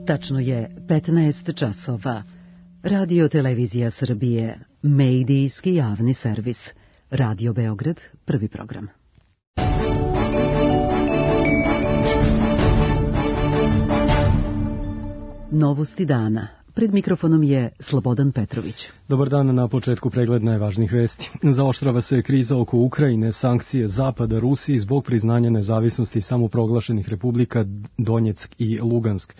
Tačno je 15 časova. Radio Televizija Srbije, medijski javni servis. Radio Beograd, prvi program. Novosti dana. Pred mikrofonom je Slobodan Petrović. Dobar dan, na početku pregled najvažnijih vesti. Zaoštrava se kriza oko Ukrajine, sankcije Zapada Rusiji zbog priznanja nezavisnosti samoproglašenih republika Donjeck i Lugansk.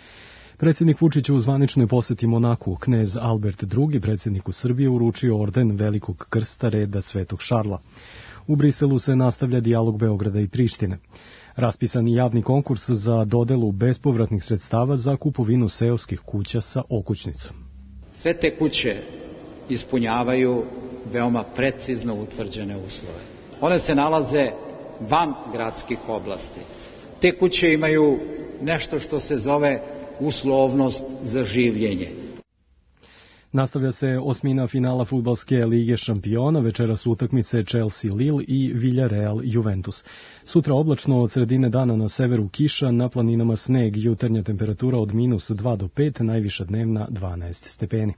Predsjednik Vučić u zvaničnoj poseti Monaku, knez Albert II, predsjedniku Srbije, uručio orden Velikog krsta reda Svetog Šarla. U Briselu se nastavlja dijalog Beograda i Prištine. Raspisan je javni konkurs za dodelu bespovratnih sredstava za kupovinu seoskih kuća sa okućnicom. Sve te kuće ispunjavaju veoma precizno utvrđene uslove. One se nalaze van gradskih oblasti. Te kuće imaju nešto što se zove uslovnost za življenje. Nastavlja se osmina finala fudbalske lige šampiona, večeras utakmice Chelsea-Lille i Villarreal-Juventus. Sutra oblačno, od sredine dana na severu kiša, na planinama sneg, jutarnja temperatura od -2 do 5, najviša dnevna 12 stepeni.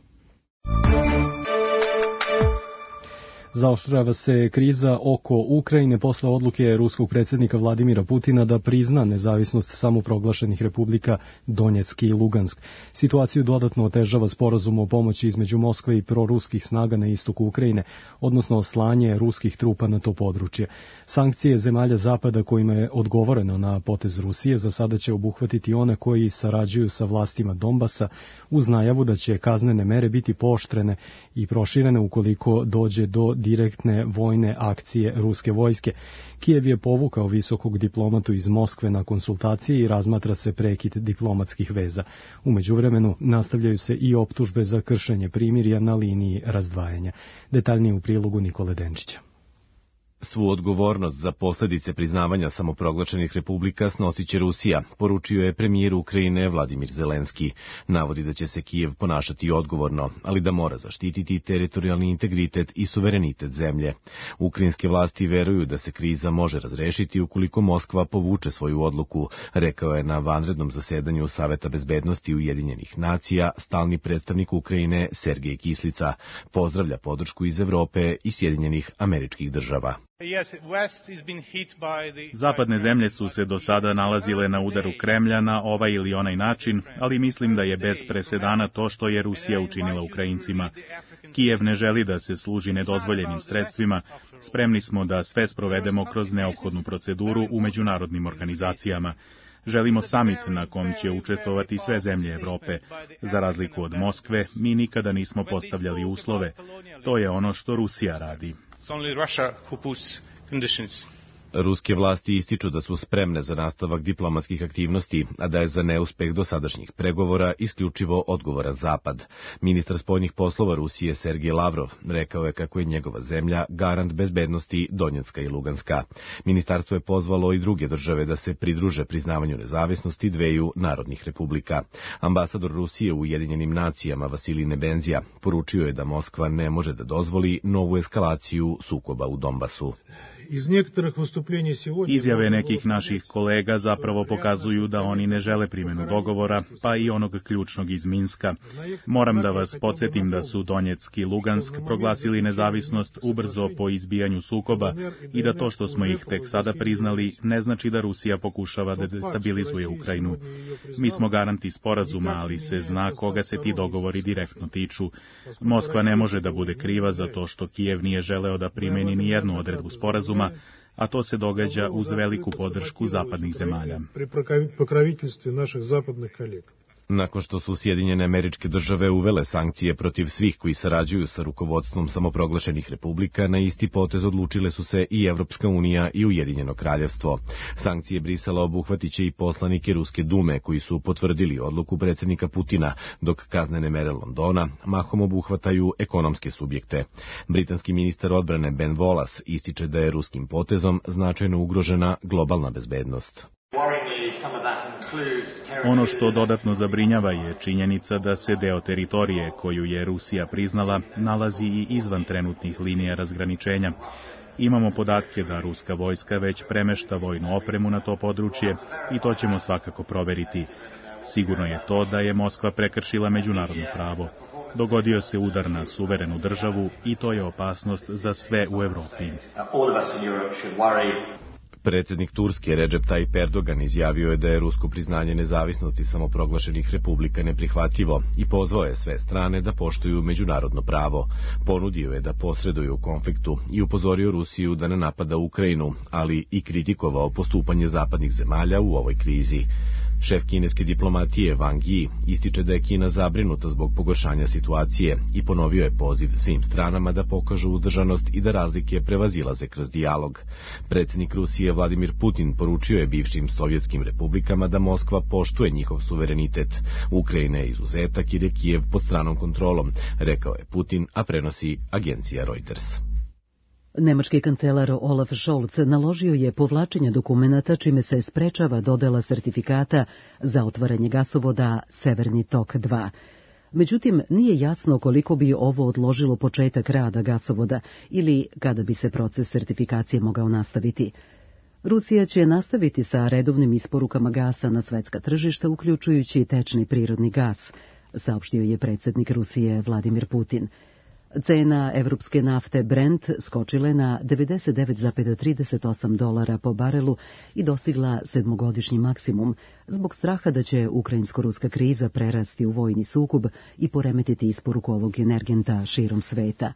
Zaoštrava se kriza oko Ukrajine posle odluke ruskog predsjednika Vladimira Putina da prizna nezavisnost samoproglašenih republika Donjeck i Lugansk. Situaciju dodatno otežava sporazum o pomoći između Moskve i proruskih snaga na istoku Ukrajine, odnosno slanje ruskih trupa na to područje. Sankcije zemalja Zapada kojima je odgovoreno na potez Rusije za sada će obuhvatiti one koji sarađuju sa vlastima Donbasa, uz najavu da će kaznene mere biti pooštrene i proširene ukoliko dođe do direktne vojne akcije ruske vojske. Kijev je povukao visokog diplomatu iz Moskve na konsultacije i razmatra se prekid diplomatskih veza. U međuvremenu nastavljaju se i optužbe za kršenje primirja na liniji razdvajanja. Detaljnije u prilogu Nikole Denčića. Svu odgovornost za posljedice priznavanja samoproglašenih republika snosit će Rusija, poručio je premijer Ukrajine Vladimir Zelenski. Navodi da će se Kijev ponašati odgovorno, ali da mora zaštititi teritorijalni integritet i suverenitet zemlje. Ukrajinske vlasti veruju da se kriza može razrešiti ukoliko Moskva povuče svoju odluku, rekao je na vanrednom zasedanju Saveta bezbednosti Ujedinjenih nacija stalni predstavnik Ukrajine Sergej Kislica. Pozdravlja podršku iz Evrope i Sjedinjenih Američkih Država. Zapadne zemlje su se do sada nalazile na udaru Kremlja na ovaj ili onaj način, ali mislim da je bez presedana to što je Rusija učinila Ukrajincima. Kijev ne želi da se služi nedozvoljenim sredstvima, spremni smo da sve sprovedemo kroz neophodnu proceduru u međunarodnim organizacijama. Želimo samit na kom će učestvovati sve zemlje Evrope. Za razliku od Moskve, mi nikada nismo postavljali uslove. To je ono što Rusija radi. Ruske vlasti ističu da su spremne za nastavak diplomatskih aktivnosti, a da je za neuspeh dosadašnjih pregovora isključivo odgovoran Zapad. Ministar spoljnih poslova Rusije Sergej Lavrov rekao je kako je njegova zemlja garant bezbednosti Donjecka i Luganska. Ministarstvo je pozvalo i druge države da se pridruže priznavanju nezavisnosti dveju narodnih republika. Ambasador Rusije u Ujedinjenim nacijama Vasilij Nebenzija poručio je da Moskva ne može da dozvoli novu eskalaciju sukoba u Donbasu. Izjave nekih naših kolega zapravo pokazuju da oni ne žele primjenu dogovora, pa i onog ključnog iz Minska. Moram da vas podsjetim da su Donjeck i Lugansk proglasili nezavisnost ubrzo po izbijanju sukoba i da to što smo ih tek sada priznali ne znači da Rusija pokušava da destabilizuje Ukrajinu. Mi smo garanti sporazuma, ali se zna koga se ti dogovori direktno tiču. Moskva ne može da bude kriva za to što Kijev nije želeo da primeni ni jednu odredbu sporazuma, a to se događa uz veliku podršku zapadnih zemalja. Nakon što su Sjedinjene Američke Države uvele sankcije protiv svih koji sarađuju sa rukovodstvom samoproglašenih republika, na isti potez odlučile su se i Evropska unija i Ujedinjeno kraljevstvo. Sankcije Brisela obuhvatiće i poslanike Ruske dume koji su potvrdili odluku predsjednika Putina, dok kaznene mere Londona mahom obuhvataju ekonomske subjekte. Britanski ministar odbrane Ben Wallace ističe da je ruskim potezom značajno ugrožena globalna bezbednost. Ono što dodatno zabrinjava je činjenica da se deo teritorije koju je Rusija priznala nalazi i izvan trenutnih linija razgraničenja. Imamo podatke da ruska vojska već premešta vojnu opremu na to područje i to ćemo svakako proveriti. Sigurno je to da je Moskva prekršila međunarodno pravo. Dogodio se udar na suverenu državu i to je opasnost za sve u Evropi. Predsjednik Turske Recep Tayyip Erdogan izjavio je da je rusko priznanje nezavisnosti samoproglašenih republika neprihvatljivo i pozvao je sve strane da poštuju međunarodno pravo. Ponudio je da posreduju u konfliktu i upozorio Rusiju da ne napada Ukrajinu, ali i kritikovao postupanje zapadnih zemalja u ovoj krizi. Šef kineske diplomatije Wang Yi ističe da je Kina zabrinuta zbog pogoršanja situacije i ponovio je poziv svim stranama da pokažu uzdržanost i da razlike prevazilaze kroz dijalog. Predsjednik Rusije Vladimir Putin poručio je bivšim sovjetskim republikama da Moskva poštuje njihov suverenitet. Ukrajina je izuzetak jer je Kijev pod stranom kontrolom, rekao je Putin, a prenosi agencija Reuters. Nemački kancelar Olaf Scholz naložio je povlačenje dokumenata čime se sprečava dodela sertifikata za otvaranje gasovoda Severni tok 2. Međutim, nije jasno koliko bi ovo odložilo početak rada gasovoda ili kada bi se proces sertifikacije mogao nastaviti. Rusija će nastaviti sa redovnim isporukama gasa na svetska tržišta, uključujući tečni prirodni gas, saopštio je predsjednik Rusije Vladimir Putin. Cena evropske nafte Brent skočila je na $99,38 po barelu i dostigla sedmogodišnji maksimum zbog straha da će ukrajinsko-ruska kriza prerasti u vojni sukob i poremetiti isporuku ovog energenta širom sveta.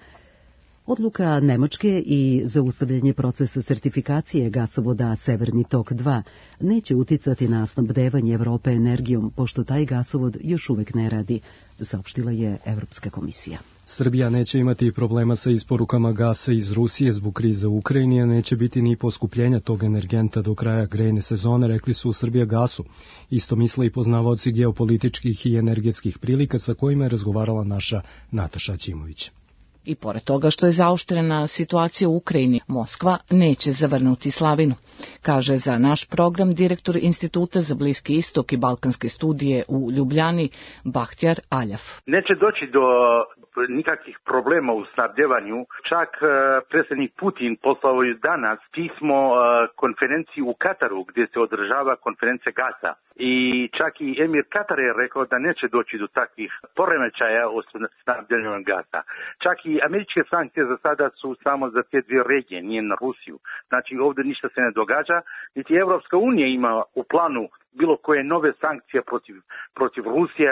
Odluka Nemačke i zaustavljanje procesa sertifikacije gasovoda Severni tok 2 neće uticati na snabdevanje Evrope energijom, pošto taj gasovod još uvek ne radi, saopštila je Evropska komisija. Srbija neće imati problema sa isporukama gasa iz Rusije zbog krize u Ukrajini, a neće biti ni poskupljenja tog energenta do kraja grejne sezone, rekli su u Srbijagasu. Isto misle i poznavaoci geopolitičkih i energetskih prilika sa kojima je razgovarala naša Nataša Ćimović. I pored toga što je zaoštrena situacija u Ukrajini, Moskva neće zavrnuti slavinu, kaže za naš program direktor Instituta za Bliski istok i balkanske studije u Ljubljani Bahtjar Aljaf. Neće doći do nikakvih problema u snabdevanju. Čak predsjednik Putin poslao je danas pismo konferenciji u Kataru gdje se održava konferencija gasa. I čak i emir Katara je rekao da neće doći do takvih poremećaja u snabdevanju gasa. Čak i američke sankcije za sada su samo za te dvije regije, nije na Rusiju. Znači ovdje ništa se ne događa, niti Evropska unija ima u planu bilo koje nove sankcije protiv Rusije.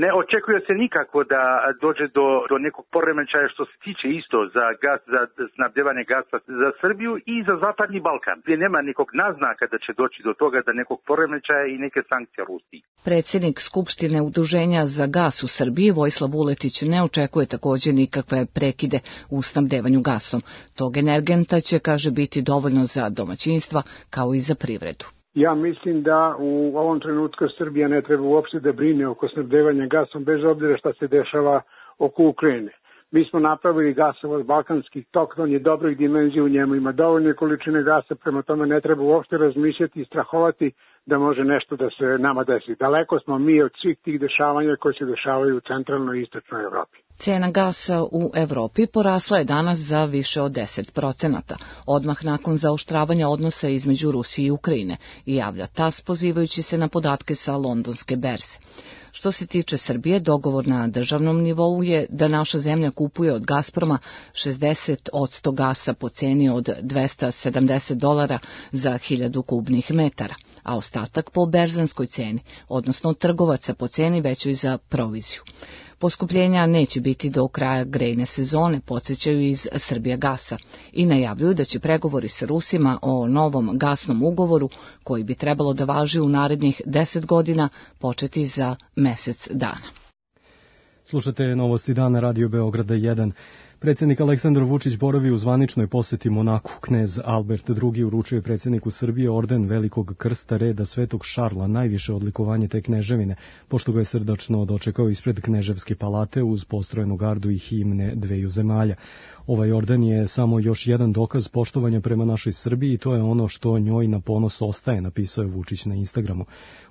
Ne očekuje se nikako da dođe do nekog poremećaja što se tiče isto za gas, za snabdevanje gasa za Srbiju i za Zapadni Balkan, gdje nema nekog naznaka da će doći do toga da nekog poremećaja i neke sankcije Rusiji. Predsjednik Skupštine Udruženja za gas u Srbiji Vojislav Vuletić ne očekuje također nikakve prekide u snabdevanju gasom. Tog energenta će, kaže, biti dovoljno za domaćinstva kao i za privredu. Ja mislim da u ovom trenutku Srbija ne treba uopšte da brine oko snabdevanja gasom, bez obzira šta se dešava oko Ukrajine. Mi smo napravili gasovod Balkanski tok, on je dobrih dimenzija, u njemu ima dovoljne količine gasa, prema tome ne treba uopšte razmišljati i strahovati da može nešto da se nama desi. Daleko smo mi od svih tih dešavanja koji se dešavaju u centralnoj i istočnoj Evropi. Cena gasa u Evropi porasla je danas za više od 10%, odmah nakon zaoštravanja odnosa između Rusije i Ukrajine, i javlja TAS pozivajući se na podatke sa londonske berze. Što se tiče Srbije, dogovor na državnom nivou je da naša zemlja kupuje od Gazproma 60% gasa po ceni od $270 za 1000 kubnih metara, a ostatak po berzanskoj ceni, odnosno od trgovaca po ceni većoj za proviziju. Poskupljenja neće biti do kraja grejne sezone, podsjećaju iz Srbijagasa, i najavljuju da će pregovori sa Rusima o novom gasnom ugovoru, koji bi trebalo da važi u narednih 10 godina, početi za mjesec dana. Slušate novosti dana Radio Beograda 1. Predsjednik Aleksandar Vučić boravi u zvaničnoj posjeti Monaku. Knez Albert II. Uručuje predsjedniku Srbije orden Velikog krsta reda Svetog Šarla, najviše odlikovanje te kneževine, pošto ga je srdačno dočekao ispred Kneževske palate uz postrojenu gardu i himne dveju zemalja. Ovaj orden je samo još jedan dokaz poštovanja prema našoj Srbiji i to je ono što njoj na ponos ostaje, napisao je Vučić na Instagramu.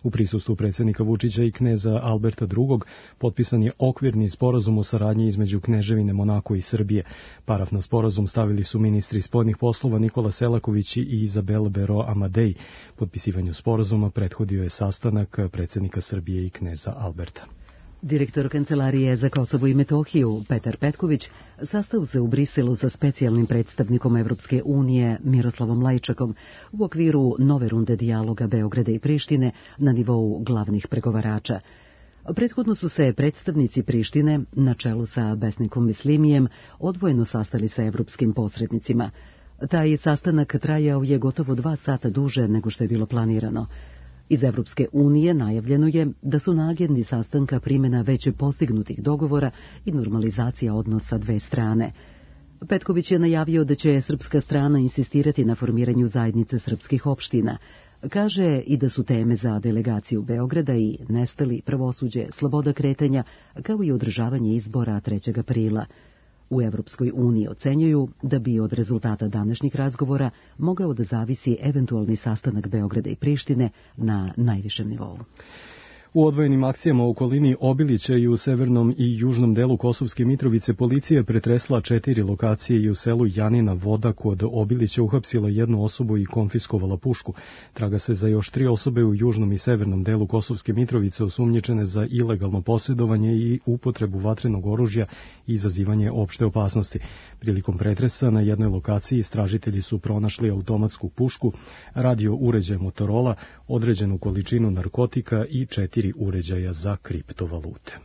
U prisustvu predsjednika Vučića i kneza Alberta II. Potpisan je okvirni sporazum o saradnji između Kneževine Monako i Srbije. Srbije. Paraf na sporazum stavili su ministri spoljnih poslova Nikola Selaković i Izabela Bero Amadej. Potpisivanju sporazuma prethodio je sastanak predsjednika Srbije i kneza Alberta. Direktor Kancelarije za Kosovo i Metohiju, Petar Petković, sastao se u Briselu sa specijalnim predstavnikom Evropske unije Miroslavom Lajčakom u okviru nove runde dijaloga Beograda i Prištine na nivou glavnih pregovarača. Prethodno su se predstavnici Prištine, na čelu sa Besnikom Mislimijem, odvojeno sastali sa evropskim posrednicima. Taj sastanak trajao je gotovo 2 sata duže nego što je bilo planirano. Iz Evropske unije najavljeno je da su na agendi sastanka primjena već postignutih dogovora i normalizacija odnosa dve strane. Petković je najavio da će srpska strana insistirati na formiranju zajednice srpskih opština. Kaže i da su teme za delegaciju Beograda i nestali, pravosuđe, sloboda kretanja, kao i održavanje izbora 3. aprila. U Evropskoj uniji ocenjuju da bi od rezultata današnjih razgovora mogao da zavisi eventualni sastanak Beograda i Prištine na najvišem nivou. U odvojenim akcijama u okolini Obilića i u severnom i južnom delu Kosovske Mitrovice policija je pretresla 4 lokacije i u selu Janina Voda kod Obilića uhapsila 1 osobu i konfiskovala pušku. Traga se za još 3 osobe u južnom i severnom delu Kosovske Mitrovice osumnjičene za ilegalno posjedovanje i upotrebu vatrenog oružja i izazivanje opšte opasnosti. Prilikom pretresa na jednoj lokaciji istražitelji su pronašli automatsku pušku, radio uređaj Motorola, određenu količinu narkotika i 4 uređaja za kriptovalute.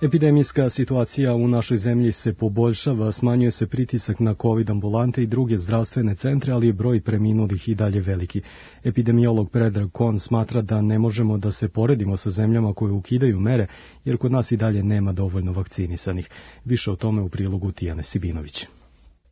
Epidemijska situacija u našoj zemlji se poboljšava, smanjuje se pritisak na COVID ambulante i druge zdravstvene centre, ali je broj preminulih i dalje veliki. Epidemiolog Predrag Kon smatra da ne možemo da se poredimo sa zemljama koje ukidaju mere, jer kod nas i dalje nema dovoljno vakcinisanih. Više o tome u prilogu Tijane Sibinović.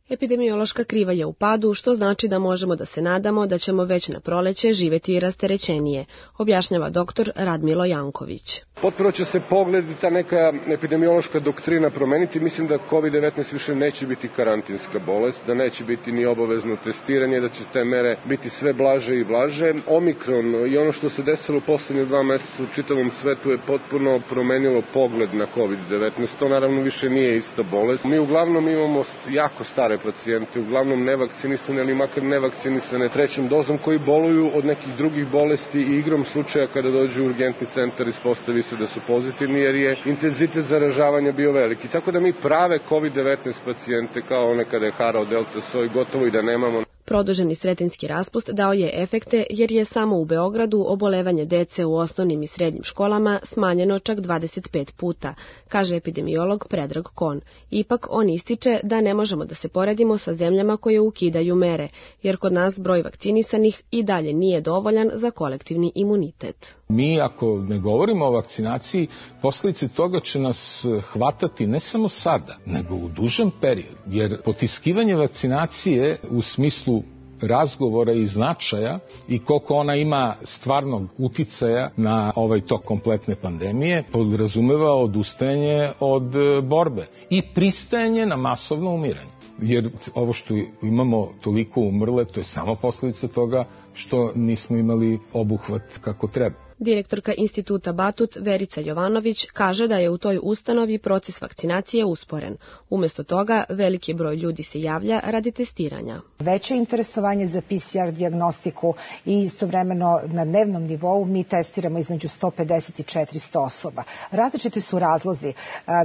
Epidemiološka kriva je u padu, što znači da možemo da se nadamo da ćemo već na proleće živjeti i rasterećenije, objašnjava doktor Radmilo Janković. Potpuno će se pogled i ta neka epidemiološka doktrina promeniti. Mislim da COVID-19 više neće biti karantinska bolest, da neće biti ni obavezno testiranje, da će te mere biti sve blaže i blaže. Omikron i ono što se desilo u poslednje 2 meseca u čitavom svetu je potpuno promenilo pogled na COVID-19. To naravno više nije ista bolest. Mi uglavnom imamo jako stare pacijente, uglavnom nevakcinisane ili makar nevakcinisane 3. dozom koji boluju od nekih drugih bolesti i igrom slučaja kada dođu u urgentni centar ispostavi se da su pozitivni jer je intenzitet zaražavanja bio veliki. Tako da mi prave COVID-19 pacijente kao one kada je harao delta soj gotovo i da nemamo. Produženi sretenjski raspust dao je efekte jer je samo u Beogradu obolevanje dece u osnovnim i srednjim školama smanjeno čak 25 puta, kaže epidemiolog Predrag Kon. Ipak on ističe da ne možemo da se poredimo sa zemljama koje ukidaju mere, jer kod nas broj vakcinisanih i dalje nije dovoljan za kolektivni imunitet. Mi ako ne govorimo o vakcinaciji, posljedice toga će nas hvatati ne samo sada, nego u dužem periodu, jer potiskivanje vakcinacije u smislu razgovora i značaja i koliko ona ima stvarnog uticaja na ovaj tok kompletne pandemije podrazumeva odustajanje od borbe i pristajanje na masovno umiranje. Jer ovo što imamo toliko umrle, to je samo posljedica toga što nismo imali obuhvat kako treba. Direktorka Instituta Batut Verica Jovanović kaže da je u toj ustanovi proces vakcinacije usporen. Umjesto toga, veliki broj ljudi se javlja radi testiranja. Veće interesovanje za PCR dijagnostiku i istovremeno na dnevnom nivou mi testiramo između 150 i 400 osoba. Različiti su razlozi.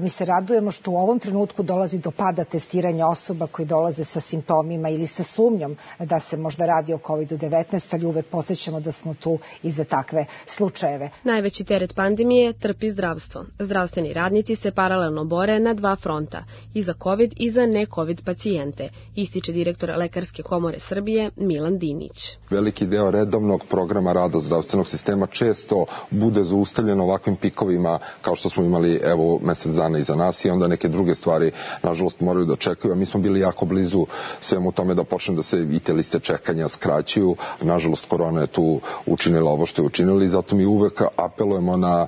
Mi se radujemo što u ovom trenutku dolazi do pada testiranja osoba koji dolaze sa simptomima ili sa sumnjom da se možda radi o COVID-19, ali uvek podsjećamo da smo tu i za takve slučajeve. Najveći teret pandemije trpi zdravstvo. Zdravstveni radnici se paralelno bore na 2 fronta, i za COVID i za ne-COVID pacijente, ističe direktor Lekarske komore Srbije Milan Dinić. Veliki deo redovnog programa rada zdravstvenog sistema često bude zaustavljen ovakvim pikovima kao što smo imali evo mesec dana iza nas i onda neke druge stvari nažalost moraju da čekaju, a mi smo bili jako blizu svemu tome da počne da se i te liste čekanja skraćuju. Nažalost korona je tu učinila ovo što je učinila i zato zato mi uvek apelujemo na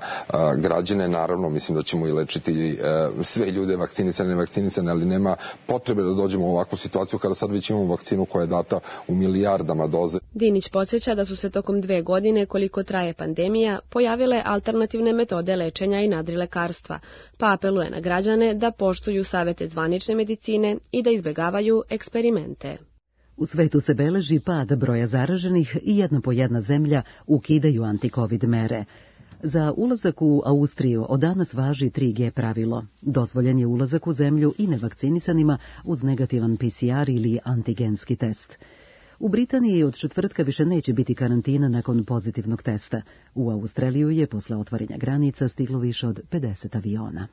građane, naravno mislim da ćemo i lečiti sve ljude vakcinisane, nevakcinisane, ali nema potrebe da dođemo u ovakvu situaciju kada sad već imamo vakcinu koja je data u milijardama doze. Dinić podsjeća da su se tokom 2 godine, koliko traje pandemija, pojavile alternativne metode lečenja i nadrilekarstva, pa apeluje na građane da poštuju savete zvanične medicine i da izbegavaju eksperimente. U svetu se beleži pad broja zaraženih i jedna po jedna zemlja ukidaju anti-covid mere. Za ulazak u Austriju od danas važi 3G pravilo. Dozvoljen je ulazak u zemlju i nevakcinisanima uz negativan PCR ili antigenski test. U Britaniji od četvrtka više neće biti karantina nakon pozitivnog testa. U Australiju je posle otvaranja granica stiglo više od 50 aviona.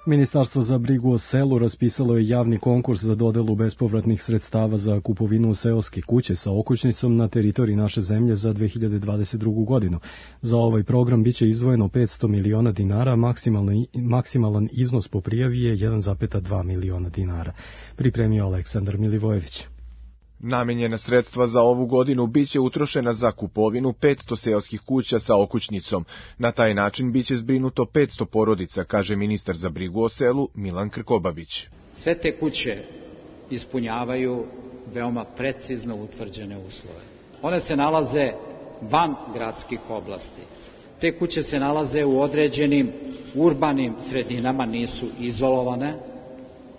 Ministarstvo za brigu o selu raspisalo je javni konkurs za dodelu bespovratnih sredstava za kupovinu seoske kuće sa okućnicom na teritoriji naše zemlje za 2022. godinu. Za ovaj program biće izdvojeno 500 miliona dinara, maksimalan iznos po prijavi je 1,2 miliona dinara. Pripremio Aleksandar Milivojević. Namenjena sredstva za ovu godinu biće utrošena za kupovinu 500 seoskih kuća sa okućnicom. Na taj način biće zbrinuto 500 porodica, kaže ministar za brigu o selu Milan Krkobabić. Sve te kuće ispunjavaju veoma precizno utvrđene uslove. One se nalaze van gradskih oblasti. Te kuće se nalaze u određenim urbanim sredinama, nisu izolovane.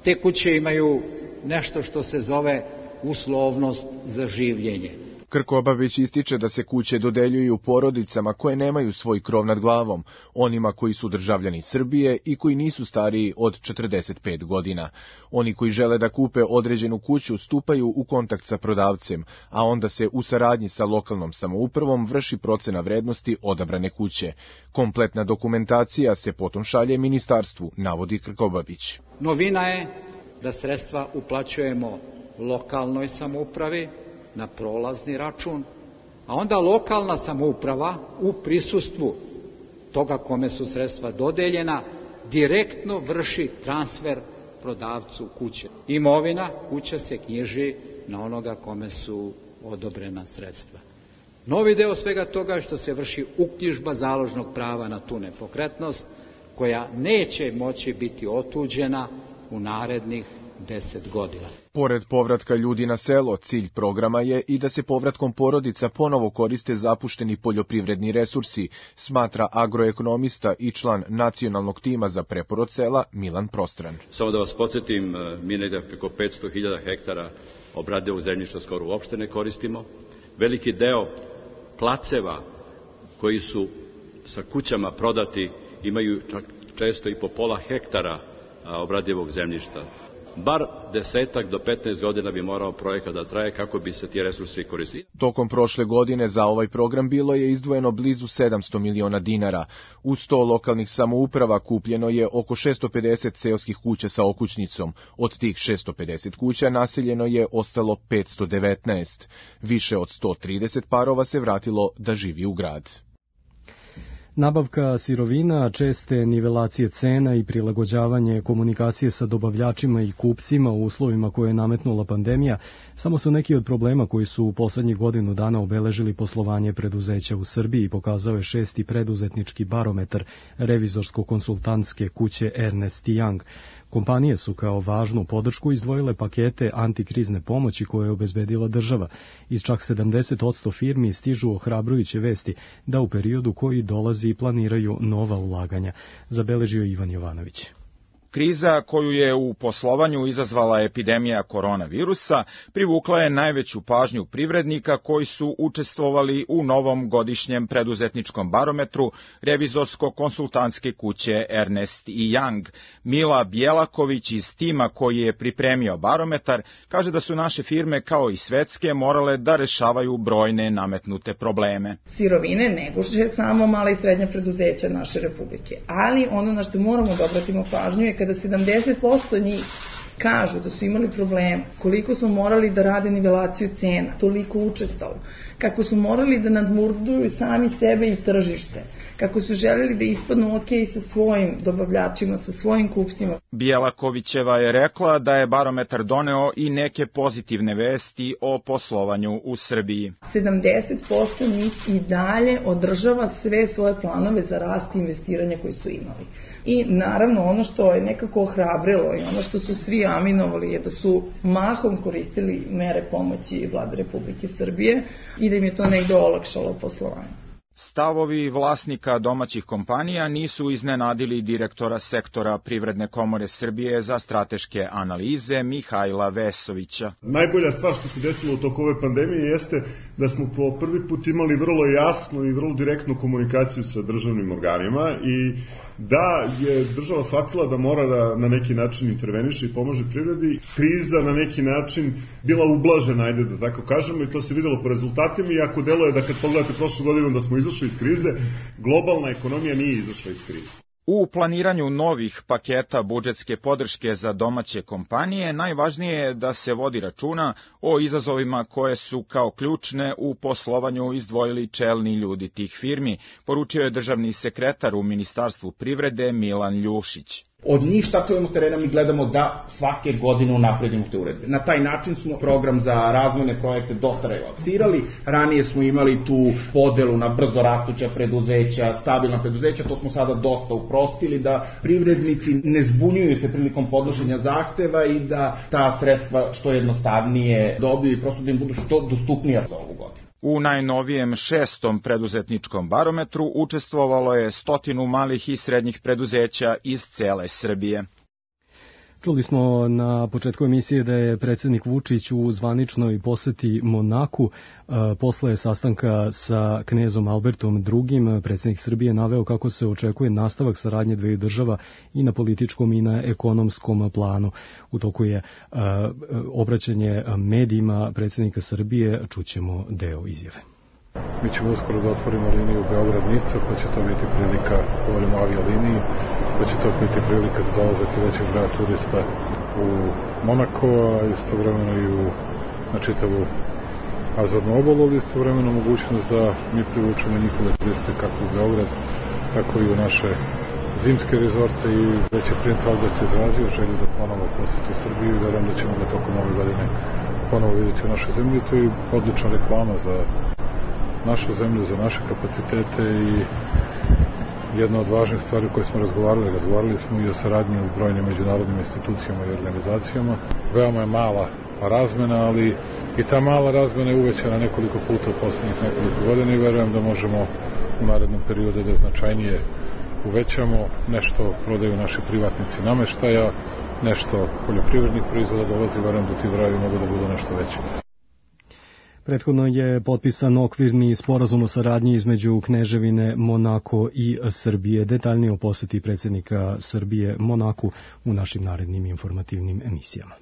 Te kuće imaju nešto što se zove uslovnost za življenje. Krkobabić ističe da se kuće dodeljuju porodicama koje nemaju svoj krov nad glavom, onima koji su državljani Srbije i koji nisu stariji od 45 godina. Oni koji žele da kupe određenu kuću stupaju u kontakt sa prodavcem, a onda se u saradnji sa lokalnom samoupravom vrši procena vrednosti odabrane kuće. Kompletna dokumentacija se potom šalje ministarstvu, navodi Krkobabić. Novina je da sredstva uplaćujemo lokalnoj samoupravi na prolazni račun, a onda lokalna samouprava u prisustvu toga kome su sredstva dodeljena direktno vrši transfer prodavcu kuće. Imovina kuća se knjiži na onoga kome su odobrena sredstva. Novi deo svega toga je što se vrši uknjižba založnog prava na tu nepokretnost koja neće moći biti otuđena u narednih 10 godina. Pored povratka ljudi na selo, cilj programa je i da se povratkom porodica ponovo koriste zapušteni poljoprivredni resursi, smatra agroekonomista i član nacionalnog tima za preporod sela Milan Prostran. Samo da vas podsjetim, mi negde preko 500.000 hektara obradivog zemljišta skoro uopšte ne koristimo. Veliki deo placeva koji su sa kućama prodati imaju često i po pola hektara obradivog zemljišta. Bar 10 do 15 godina bi morao projekat da traje kako bi se ti resursi koristili. Tokom prošle godine za ovaj program bilo je izdvojeno blizu 700 miliona dinara. U 100 lokalnih samouprava kupljeno je oko 650 seoskih kuća sa okućnicom. Od tih 650 kuća naseljeno je ostalo 519. Više od 130 parova se vratilo da živi u grad. Nabavka sirovina, česte nivelacije cena i prilagođavanje komunikacije sa dobavljačima i kupcima u uslovima koje je nametnula pandemija samo su neki od problema koji su u poslednjih godinu dana obeležili poslovanje preduzeća u Srbiji, pokazao je 6. preduzetnički barometar revizorsko-konsultantske kuće Ernst & Young. Kompanije su kao važnu podršku izdvojile pakete antikrizne pomoći koje je obezbedila država. Iz čak 70% firmi stižu ohrabrujuće vesti da u periodu koji dolazi planiraju nova ulaganja, zabeležio Ivan Jovanović. Kriza koju je u poslovanju izazvala epidemija koronavirusa privukla je najveću pažnju privrednika koji su učestvovali u novom godišnjem preduzetničkom barometru revizorsko-konsultantske kuće Ernst & Young. Mila Bjelaković iz tima koji je pripremio barometar kaže da su naše firme kao i svetske morale da rešavaju brojne nametnute probleme. Sirovine ne guše samo mala i srednja preduzeća naše republike, ali ono na što moramo da obratimo pažnju je kada 70% njih kažu da su imali problema, koliko su morali da rade nivelaciju cena, toliko učestalo, kako su morali da nadmurduju sami sebe i tržište, kako su želeli da ispadnu ok sa svojim dobavljačima, sa svojim kupcima. Bjelakovićeva je rekla da je barometar doneo i neke pozitivne vesti o poslovanju u Srbiji. 70% njih i dalje održava sve svoje planove za rast i investiranja koje su imali. I naravno ono što je nekako ohrabrilo i ono što su svi aminovali je da su mahom koristili mere pomoći Vlade Republike Srbije i da im je to negde olakšalo poslovanje. Stavovi vlasnika domaćih kompanija nisu iznenadili direktora sektora Privredne komore Srbije za strateške analize Mihajla Vesovića. Najbolja stvar što se desilo u toku ove pandemije jeste da smo po prvi put imali vrlo jasnu i vrlo direktnu komunikaciju sa državnim organima i da je država shvatila da mora da na neki način interveniše i pomože privredi. Kriza na neki način bila ublažena, ajde da tako kažemo, i to se videlo po rezultatima, iako deluje da kad pogledate prošlu godinu da smo izašli iz krize, globalna ekonomija nije izašla iz krize. U planiranju novih paketa budžetske podrške za domaće kompanije najvažnije je da se vodi računa o izazovima koje su kao ključne u poslovanju izdvojili čelni ljudi tih firmi, poručio je državni sekretar u Ministarstvu privrede Milan Ljušić. Od njih šta čujemo s terena, mi gledamo da svake godine unapredimo te uredbe. Na taj način smo program za razvojne projekte dosta relaksirali. Ranije smo imali tu podelu na brzo rastuća preduzeća, stabilna preduzeća, to smo sada dosta uprostili, da privrednici ne zbunjuju se prilikom podnošenja zahteva i da ta sredstva što jednostavnije dobiju i prosto da im budu što dostupnija za ovu godinu. U najnovijem 6. preduzetničkom barometru učestvovalo je 100 malih i srednjih preduzeća iz cele Srbije. Čuli smo na početku emisije da je predsjednik Vučić u zvaničnoj poseti Monaku posle sastanka sa knezom Albertom II. Predsjednik Srbije naveo kako se očekuje nastavak saradnje dveju država i na političkom i na ekonomskom planu. U toku je obraćanje medijima predsjednika Srbije, čućemo deo izjave. Mi ćemo uskoro da otvorimo liniju Beograd-Nica, pa će to biti prilika, govorimo o avioliniji, pa će to biti prilika za dolazak i većeg broja turista u Monako, a istovremeno i na čitavu Azornu obalu, ali istovremeno mogućnost da mi privučemo njihove turiste kako u Beograd, tako i u naše zimske rezorte i već je princ Albert izrazio želju da ponovo poseti Srbiju i verujem da ćemo ga tokom ove godine ponovo vidjeti u našoj zemlji. To je odlična reklama za našu zemlju, za naše kapacitete i jedna od važnih stvari koje smo razgovarali smo i o saradnji u brojnim međunarodnim institucijama i organizacijama. Veoma je mala razmena, ali i ta mala razmena je uvećana nekoliko puta u poslednjih nekoliko godina i verujem da možemo u narednom periodu da značajnije uvećamo. Nešto prodaju naši privatnici nameštaja, nešto poljoprivrednih proizvoda dolazi, verujem da ti brojevi mogu da budu nešto veći. Prethodno je potpisan okvirni sporazum o saradnji između Kneževine Monako i Srbije. Detaljnije o poseti predsjednika Srbije Monaku u našim narednim informativnim emisijama.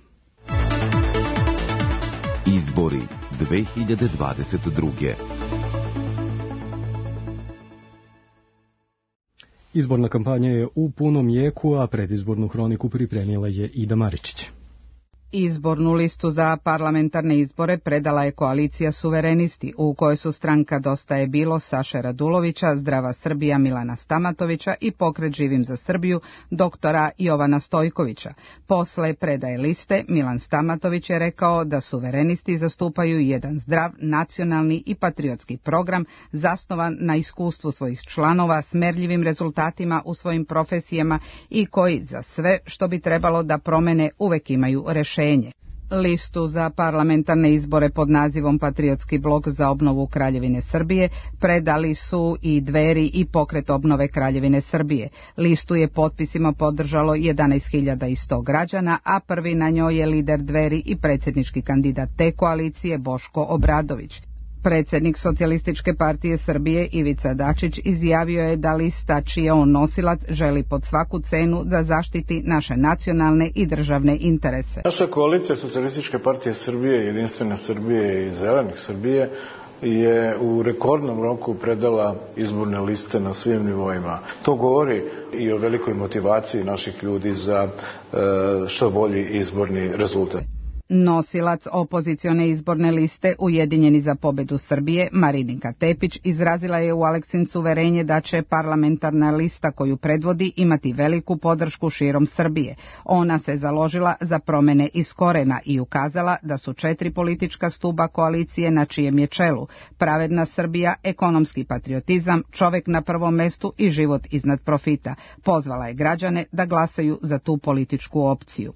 Izbori 2022. Izborna kampanja je u punom jeku, a predizbornu hroniku pripremila je Ida Maričić. Izbornu listu za parlamentarne izbore predala je koalicija Suverenisti, u kojoj su stranka Dosta je bilo Saše Radulovića, Zdrava Srbija Milana Stamatovića i Pokret Živim za Srbiju doktora Jovana Stojkovića. Posle predaje liste, Milan Stamatović je rekao da Suverenisti zastupaju jedan zdrav, nacionalni i patriotski program zasnovan na iskustvu svojih članova, smerljivim rezultatima u svojim profesijama i koji za sve što bi trebalo da promene uvek imaju rešenje. Listu za parlamentarne izbore pod nazivom Patriotski blok za obnovu Kraljevine Srbije predali su i Dveri i Pokret obnove Kraljevine Srbije. Listu je potpisima podržalo 11.100 građana, a prvi na njoj je lider Dveri i predsjednički kandidat te koalicije Boško Obradović. Predsjednik Socijalističke partije Srbije Ivica Dačić izjavio je da lista čiji je on nosilac želi pod svaku cenu da zaštiti naše nacionalne i državne interese. Naša koalicija Socijalističke partije Srbije, Jedinstvene Srbije i Zelenih Srbije je u rekordnom roku predala izborne liste na svim nivoima. To govori i o velikoj motivaciji naših ljudi za što bolji izborni rezultat. Nosilac opozicione izborne liste Ujedinjeni za pobedu Srbije, Marinika Tepić, izrazila je u Aleksincu uverenje da će parlamentarna lista koju predvodi imati veliku podršku širom Srbije. Ona se založila za promene iz korena i ukazala da su 4 politička stuba koalicije na čijem je čelu: pravedna Srbija, ekonomski patriotizam, čovek na prvom mestu i život iznad profita. Pozvala je građane da glasaju za tu političku opciju.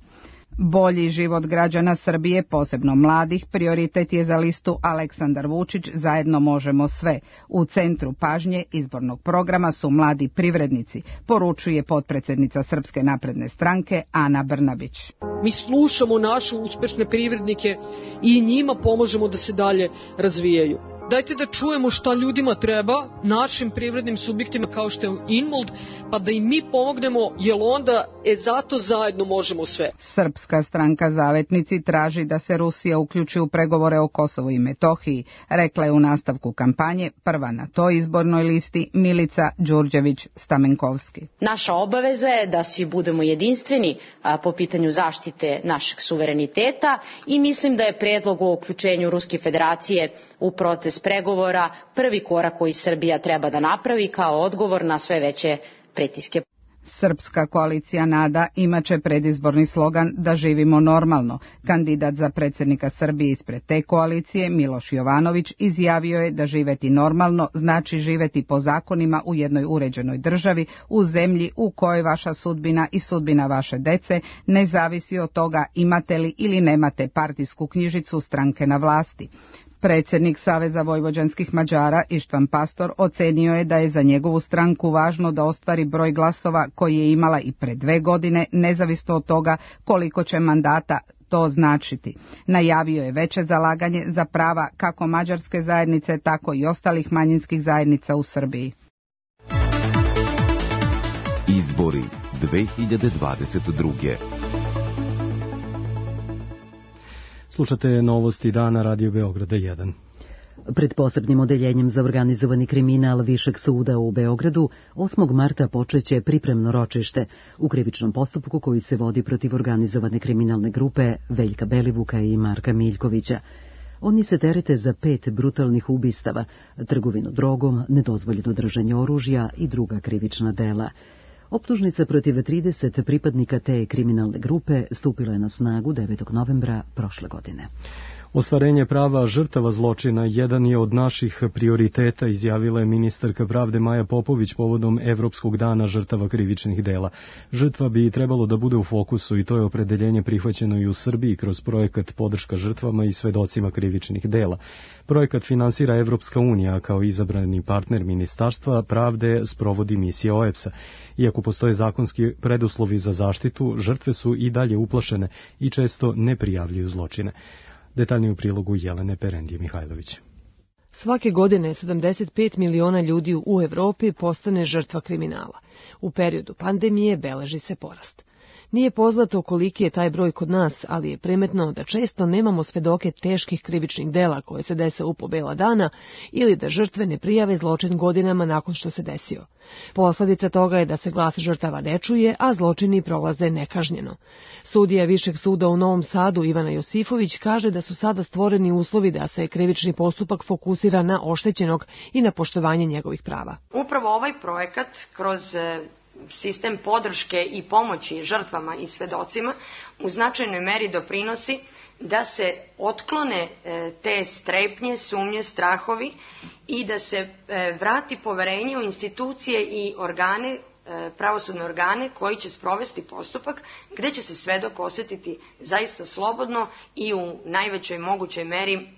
Bolji život građana Srbije, posebno mladih, prioritet je za listu Aleksandar Vučić Zajedno možemo sve. U centru pažnje izbornog programa su mladi privrednici, poručuje potpredsednica Srpske napredne stranke Ana Brnabić. Mi slušamo naše uspešne privrednike i njima pomažemo da se dalje razvijaju. Dajte da čujemo šta ljudima treba, našim privrednim subjektima kao što je Inmold, pa da im mi pomognemo, jer onda zato zajedno možemo sve. Srpska stranka Zavetnici traži da se Rusija uključi u pregovore o Kosovu i Metohiji, rekla je u nastavku kampanje prva na toj izbornoj listi Milica Đurđević-Stamenkovski. Naša obaveza je da svi budemo jedinstveni po pitanju zaštite našeg suvereniteta i mislim da je predlog o uključenju Ruske federacije u proces pregovora prvi korak koji Srbija treba da napravi kao odgovor na sve veće pritiske. Srpska koalicija NADA imaće predizborni slogan da živimo normalno. Kandidat za predsjednika Srbije ispred te koalicije, Miloš Jovanović, izjavio je da živeti normalno znači živeti po zakonima u jednoj uređenoj državi, u zemlji u kojoj vaša sudbina i sudbina vaše dece ne zavisi od toga imate li ili nemate partijsku knjižicu stranke na vlasti. Predsjednik Saveza vojvođanskih Mađara Ištvan Pastor ocenio je da je za njegovu stranku važno da ostvari broj glasova koji je imala i pre 2 godine, nezavisno od toga koliko će mandata to značiti. Najavio je veće zalaganje za prava kako mađarske zajednice, tako i ostalih manjinskih zajednica u Srbiji. Izbori 2022. Slušate novosti dana Radio Beograda 1. Pred posebnim odeljenjem za organizovani kriminal Višeg suda u Beogradu 8. marta počeće pripremno ročište u krivičnom postupku koji se vodi protiv organizovane kriminalne grupe Veljka Belivuka i Marka Miljkovića. Oni se terete za 5 brutalnih ubistava, trgovinu drogom, nedozvoljeno držanje oružja i druga krivična dela. Optužnica protiv 30 pripadnika te kriminalne grupe stupila je na snagu 9. novembra prošle godine. Ostvarenje prava žrtava zločina jedan je od naših prioriteta, izjavila je ministarka pravde Maja Popović povodom Evropskog dana žrtava krivičnih dela. Žrtva bi trebalo da bude u fokusu i to je opredeljenje prihvaćeno i u Srbiji kroz projekat Podrška žrtvama i svedocima krivičnih dela. Projekat finansira Evropska unija, kao izabrani partner Ministarstva pravde sprovodi misija OEBS-a. Iako postoje zakonski preduslovi za zaštitu, žrtve su i dalje uplašene i često ne prijavljuju zločine. Detaljnije u prilogu Jelene Perendije Mihajlović. Svake godine 75 miliona ljudi u Evropi postane žrtva kriminala. U periodu pandemije beleži se porast. Nije poznato koliki je taj broj kod nas, ali je primetno da često nemamo svedoke teških krivičnih dela koje se dese u po bela dana ili da žrtve ne prijave zločin godinama nakon što se desio. Posledica toga je da se glas žrtava ne čuje, a zločini prolaze nekažnjeno. Sudija Višeg suda u Novom Sadu Ivana Josifović kaže da su sada stvoreni uslovi da se krivični postupak fokusira na oštećenog i na poštovanje njegovih prava. Upravo ovaj projekat kroz sistem podrške i pomoći žrtvama i svedocima u značajnoj meri doprinosi da se otklone te strepnje, sumnje, strahovi i da se vrati poverenje u institucije i organe, pravosudne organe koji će sprovesti postupak gde će se svedok osetiti zaista slobodno i u najvećoj mogućoj meri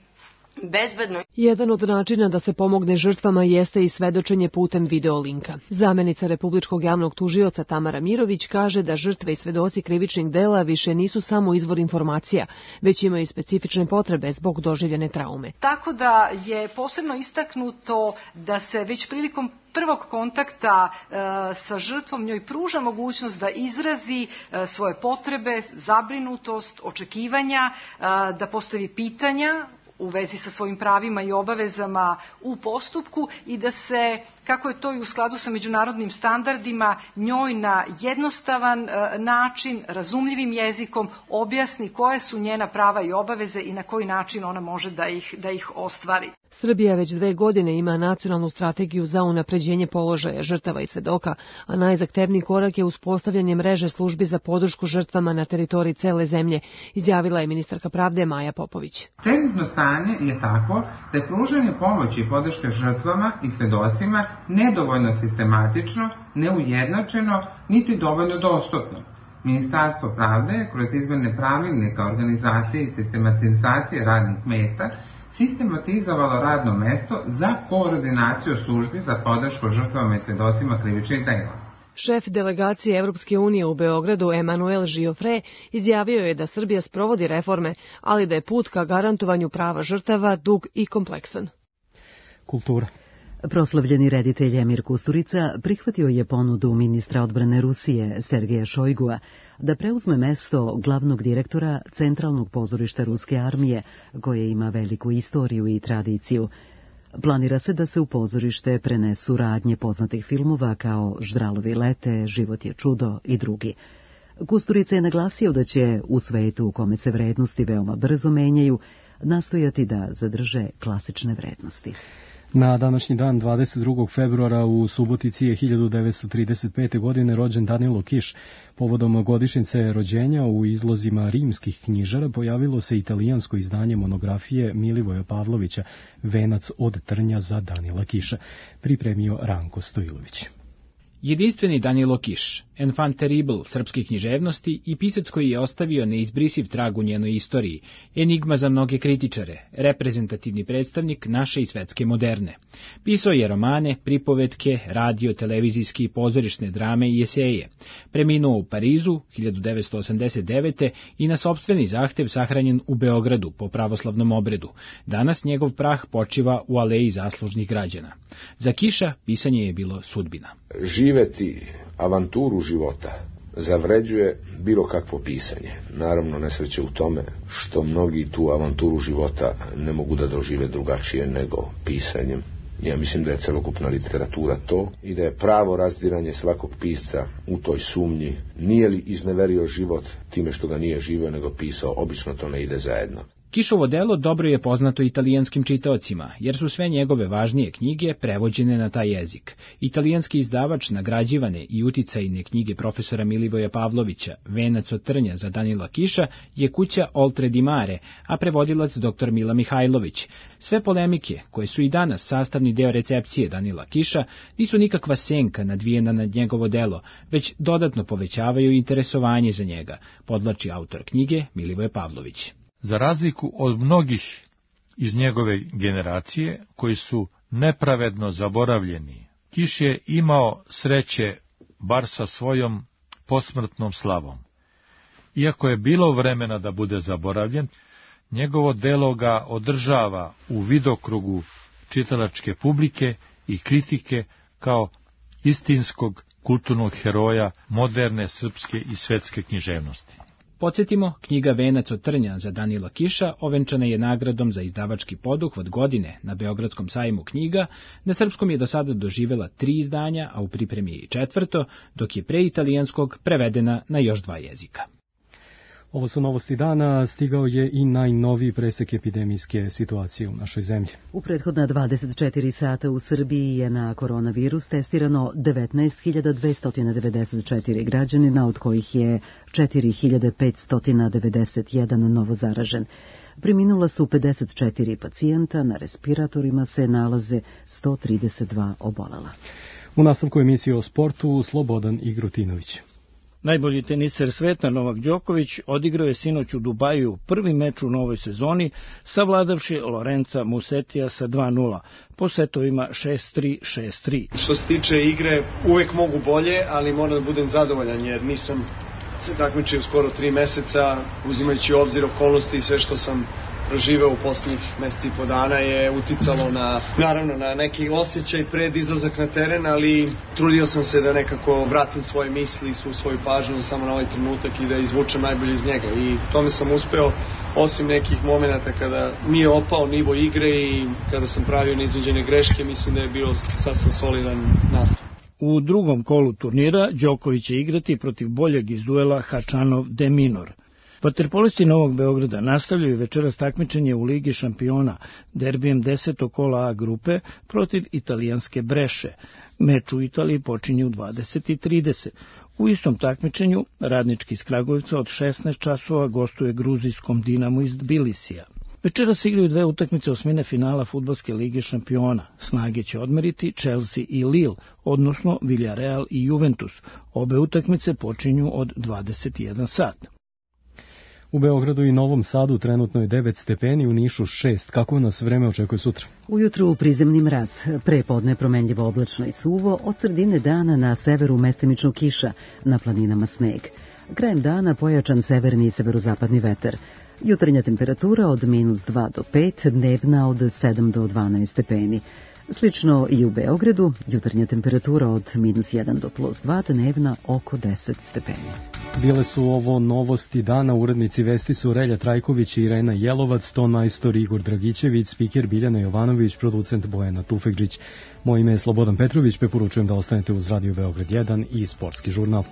bezbedno. Jedan od načina da se pomogne žrtvama jeste i svedočenje putem videolinka. Zamenica Republičkog javnog tužioca Tamara Mirović kaže da žrtve i svedoci krivičnih dela više nisu samo izvor informacija, već imaju specifične potrebe zbog doživljene traume. Tako da je posebno istaknuto da se već prilikom prvog kontakta sa žrtvom njoj pruža mogućnost da izrazi svoje potrebe, zabrinutost, očekivanja, da postavi pitanja u vezi sa svojim pravima i obavezama u postupku i da se, kako je to i u skladu sa međunarodnim standardima, njoj na jednostavan način, razumljivim jezikom objasni koje su njena prava i obaveze i na koji način ona može da ih ostvari. Srbija već 2 godine ima nacionalnu strategiju za unapređenje položaja žrtava i svedoka, a najzahtevniji korak je uspostavljanje mreže službi za podršku žrtvama na teritoriji cele zemlje, izjavila je ministarka pravde Maja Popović. Trenutno stanje je takvo da je pružanje pomoći i podrške žrtvama i svedocima nedovoljno sistematično, neujednačeno, niti dovoljno dostupno. Ministarstvo pravde, kroz izmene pravilnika organizacije i sistematizacije radnih mesta, sistematizovalo radno mesto za koordinaciju službi za podršku žrtvama i svedocima krivičnih dela. Šef delegacije Evropske unije u Beogradu, Emanuel Giofre, izjavio je da Srbija sprovodi reforme, ali da je put ka garantovanju prava žrtava dug i kompleksan. Kultura. Proslavljeni reditelj Emir Kusturica prihvatio je ponudu ministra odbrane Rusije Sergeja Šojgua da preuzme mesto glavnog direktora Centralnog pozorišta Ruske armije, koje ima veliku istoriju i tradiciju. Planira se da se u pozorište prenesu radnje poznatih filmova kao Ždralovi lete, Život je čudo i drugi. Kusturica je naglasio da će u svetu u kome se vrednosti veoma brzo menjaju nastojati da zadrže klasične vrednosti. Na današnji dan, 22. februara, u Subotici je 1935. godine rođen Danilo Kiš. Povodom godišnjice rođenja u izlozima rimskih knjižara pojavilo se italijansko izdanje monografije Milivoja Pavlovića Venac od trnja za Danila Kiša, pripremio Ranko Stojilović. Jedinstveni Danilo Kiš, enfant terrible srpske književnosti i pisac koji je ostavio neizbrisiv trag u njenoj istoriji, enigma za mnoge kritičare, reprezentativni predstavnik naše i svetske moderne. Pisao je romane, pripovetke, radio, televizijski i pozorišne drame i eseje. Preminuo u Parizu 1989. i na sopstveni zahtev sahranjen u Beogradu po pravoslavnom obredu. Danas njegov prah počiva u aleji zaslužnih građana. Za Kiša pisanje je bilo sudbina. Živeti avanturu života zavređuje bilo kakvo pisanje. Naravno, nesreće u tome što mnogi tu avanturu života ne mogu da dožive drugačije nego pisanjem. Ja mislim da je celokupna literatura to i da je pravo razdiranje svakog pisca u toj sumnji. Nije li izneverio život time što ga nije živio nego pisao, obično to ne ide zajedno. Kišovo delo dobro je poznato italijanskim čitaocima, jer su sve njegove važnije knjige prevođene na taj jezik. Italijanski izdavač nagrađivane i uticajne knjige profesora Milivoja Pavlovića, Venac od trnja za Danila Kiša, je kuća Oltre di Mare, a prevodilac dr. Mila Mihajlović. Sve polemike, koje su i danas sastavni deo recepcije Danila Kiša, nisu nikakva senka nadvijena nad njegovo delo, već dodatno povećavaju interesovanje za njega, podvlači autor knjige Milivoje Pavlović. Za razliku od mnogih iz njegove generacije, koji su nepravedno zaboravljeni, Kiš je imao sreće bar sa svojom posmrtnom slavom. Iako je bilo vremena da bude zaboravljen, njegovo delo ga održava u vidokrugu čitalačke publike i kritike kao istinskog kulturnog heroja moderne srpske i svetske književnosti. Podsjetimo, knjiga Venac od trnja za Danila Kiša ovenčana je nagradom za izdavački poduhvat godine na Beogradskom sajmu knjiga. Na srpskom je do sada doživela 3 izdanja, a u pripremi je i 4., dok je pre italijanskog prevedena na još 2 jezika. Ovo su novosti dana, stigao je i najnoviji presek epidemijske situacije u našoj zemlji. U prethodna 24 sata u Srbiji je na koronavirus testirano 19.294 građanina, od kojih je 4.591 novo zaražen. Preminula su 54 pacijenta, na respiratorima se nalaze 132 obolela. U nastavku emisije o sportu, Slobodan Igrutinović. Najbolji teniser sveta Novak Đoković odigrao je sinoć u Dubaju prvi meč u novoj sezoni, savladavši Lorenza Musetija sa 2:0, po setovima 6-3, 6-3. Što se tiče igre, uvek mogu bolje, ali moram da budem zadovoljan jer nisam se takmičio skoro 3 meseca, uzimajući u obzir okolnosti i sve što sam proživeo u poslednjih meseci i po dana je uticalo naravno na neki osjećaj pred izlazak na teren, ali trudio sam se da nekako vratim svoje misli, svu svoju pažnju samo na ovaj trenutak i da izvučem najbolje iz njega. I tome sam uspeo, osim nekih momenata kada mi je opao nivo igre i kada sam pravio neiznuđene greške, mislim da je bio sasvim solidan nastup. U drugom kolu turnira Đoković će igrati protiv boljeg iz duela Hačanov-De Minor. Vaterpolisti Novog Beograda nastavljaju večeras takmičenje u Ligi šampiona derbijem 10. kola A grupe protiv italijanske Breše. Meč u Italiji počinje u 20:30. U istom takmičenju Radnički iz Kragujevca od 16 časova gostuje gruzijskom Dinamu iz Tbilisija. Večeras igraju dve utakmice osmine finala Fudbalske lige šampiona. Snage će odmeriti Chelsea i Lille, odnosno Villarreal i Juventus. Obe utakmice počinju od 21 sat. U Beogradu i Novom Sadu trenutno je 9 stepeni, u Nišu 6. Kako nas vreme očekuje sutra? Ujutru prizemni mraz, prepodne promenljivo oblačno i suvo, od sredine dana na severu mestimično kiša, na planinama sneg. Krajem dana pojačan severni i severozapadni vetar. Jutarnja temperatura od -2 do 5, dnevna od 7 do 12 stepeni. Slično i u Beogradu, jutarnja temperatura od -1 do +2, dnevna oko 10 stepeni. Bile su ovo novosti dana, urednici vesti su Relja Trajković i Irena Jelovac, ton majstor Igor Dragićević, spiker Biljana Jovanović, producent Bojana Tufekđić. Moje ime je Slobodan Petrović, preporučujem da ostanete uz Radio Beograd 1 i Sportski žurnal.